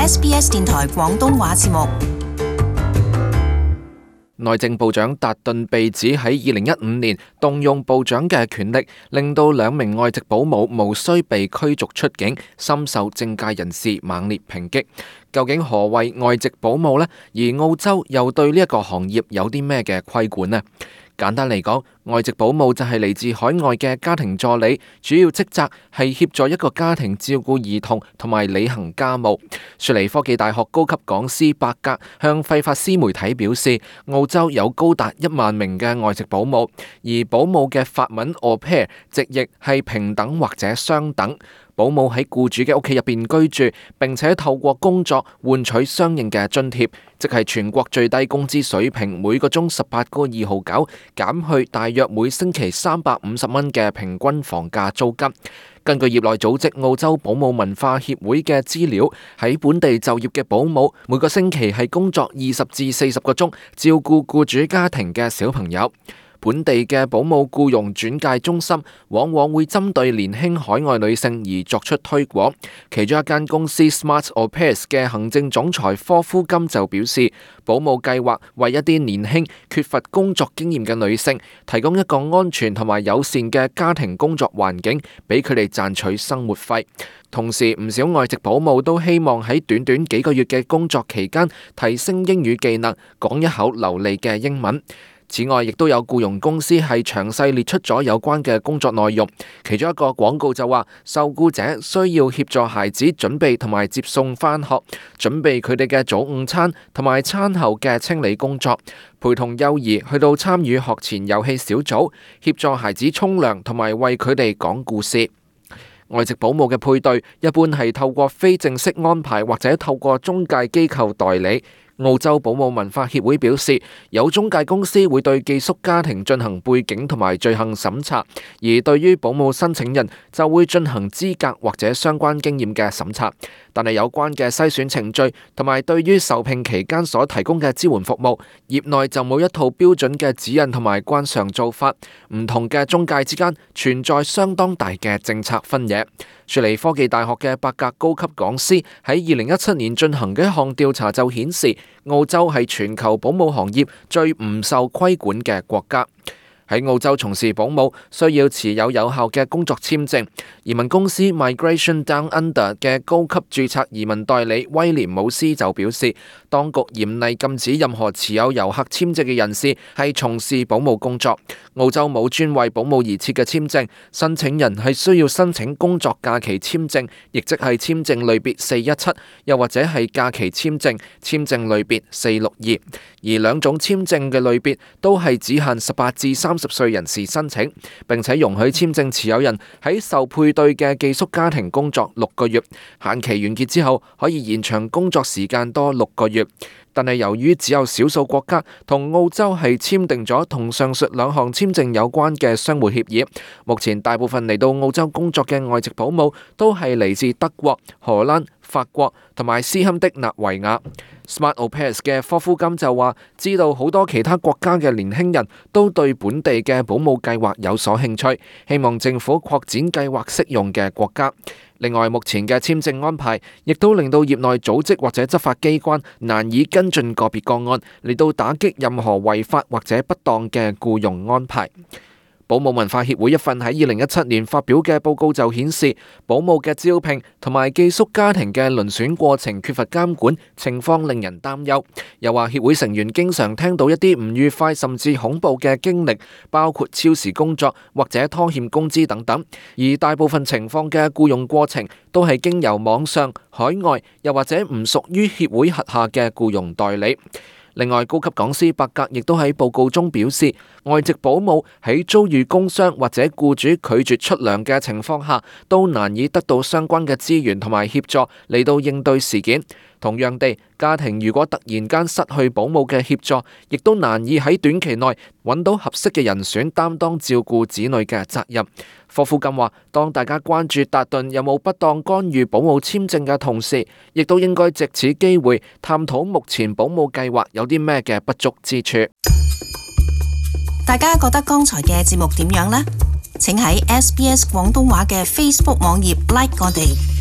SBS 電台廣東話節目。內政部長達頓被指喺2015年動用部長嘅權力，令到2名外籍保姆無需被驅逐出境，深受政界人士猛烈抨擊。究竟何謂外籍保姆呢？而澳洲又對呢一個行業有啲咩嘅規管呢？簡單嚟講，外籍保姆就係嚟自海外嘅家庭助理，主要職責係協助一個家庭照顧兒童同埋履行家務。雪梨科技大學高級講師伯格向費法斯媒體表示，澳洲有高達1萬名嘅外籍保姆，而保姆嘅法文 au pair 直譯係平等或者相等。保姆喺僱主嘅屋企入邊居住，並且透過工作換取相應嘅津貼，即係全國最低工資水平每個鐘18個2毫9，減去大約每星期350蚊嘅平均房價租金。根據業內組織澳洲保姆文化協會嘅資料，喺本地就業嘅保姆每個星期係工作20至40個鐘，照顧僱主家庭嘅小朋友。本地嘅保姆僱傭轉介中心往往會針對年輕海外女性而作出推廣。其中一間公司 Smart Au Pairs 嘅行政總裁科夫金就表示，保姆計劃為一啲年輕缺乏工作經驗嘅女性提供一個安全同埋友善嘅家庭工作環境，俾佢哋賺取生活費。同時，唔少外籍保姆都希望喺短短幾個月嘅工作期間提升英語技能，講一口流利嘅英文。此外，亦都有僱傭公司係詳細列出咗有關嘅工作內容。其中一個廣告就話，受僱者需要協助孩子準備同埋接送返學，準備佢哋嘅早午餐同埋餐後嘅清理工作，陪同幼兒去到參與學前遊戲小組，協助孩子沖涼同埋為佢哋講故事。外籍保姆嘅配對一般係透過非正式安排或者透過中介機構代理。澳洲保姆文化協會表示，有中介公司會對寄宿家庭進行背景同埋罪行審查，而對於保姆申請人就會進行資格或者相關經驗嘅審查。但係有關嘅篩選程序同埋對於受聘期間所提供嘅支援服務，業內就冇一套標準嘅指引同埋慣常做法，唔同嘅中介之間存在相當大嘅政策分野。雪梨科技大學嘅伯格高級講師喺2017年進行嘅一項調查就顯示，澳洲係全球保姆行業最唔受規管嘅國家。喺澳洲從事保姆需要持有有效嘅工作簽證。移民公司 Migration Down Under 嘅高級註冊移民代理威廉姆斯就表示，當局嚴厲禁止任何持有遊客簽證嘅人士係從事保姆工作。澳洲冇專為保姆而設嘅簽證，申請人係需要申請工作假期簽證，亦即係簽證類別417，又或者係假期簽證，簽證類別462。而兩種簽證嘅類別都係只限18至30歲人士申請，並且容許簽證持有人喺受配對嘅寄宿家庭工作6個月，限期完結之後可以延長工作時間多6個月。但係由於只有少數國家同澳洲係簽訂咗同上述兩項簽證有關嘅相互協議，目前大部分嚟到澳洲工作嘅外籍保姆都係嚟自德國、荷蘭、法國同埋斯堪的納維亞。Smart Au Pairs 嘅科夫金就話，知道好多其他國家嘅年輕人都對本地嘅保姆計劃有所興趣，希望政府擴展計劃適用嘅國家。另外，目前嘅簽證安排亦都令到業內組織或者執法機關難以跟進個別個案，嚟到打擊任何違法或者不當嘅僱傭安排。保姆文化協會一份喺2017年發表嘅報告就顯示，保姆嘅招聘同埋寄宿家庭嘅遴選過程缺乏監管，情況令人擔憂。又話協會成員經常聽到一啲唔愉快甚至恐怖嘅經歷，包括超時工作或者拖欠工資等等。而大部分情況嘅僱傭過程都係經由網上、海外又或者唔屬於協會轄下嘅僱傭代理。另外，高級講師伯格亦都喺報告中表示，外籍保姆喺遭遇工傷或者僱主拒絕出糧嘅情況下，都難以得到相關嘅資源同埋協助嚟到應對事件。同樣地，家庭如果突然間失去保姆嘅協助，亦都難以喺短期內揾到合適嘅人選擔當照顧子女嘅責任。霍夫金話，當大家關注達頓有冇不當干預保姆簽證嘅同時，亦都應該藉此機會探討目前保姆計劃有啲咩嘅不足之處。大家覺得剛才嘅節目點樣呢？請喺SBS 廣東話嘅 Facebook 網頁 like 我哋。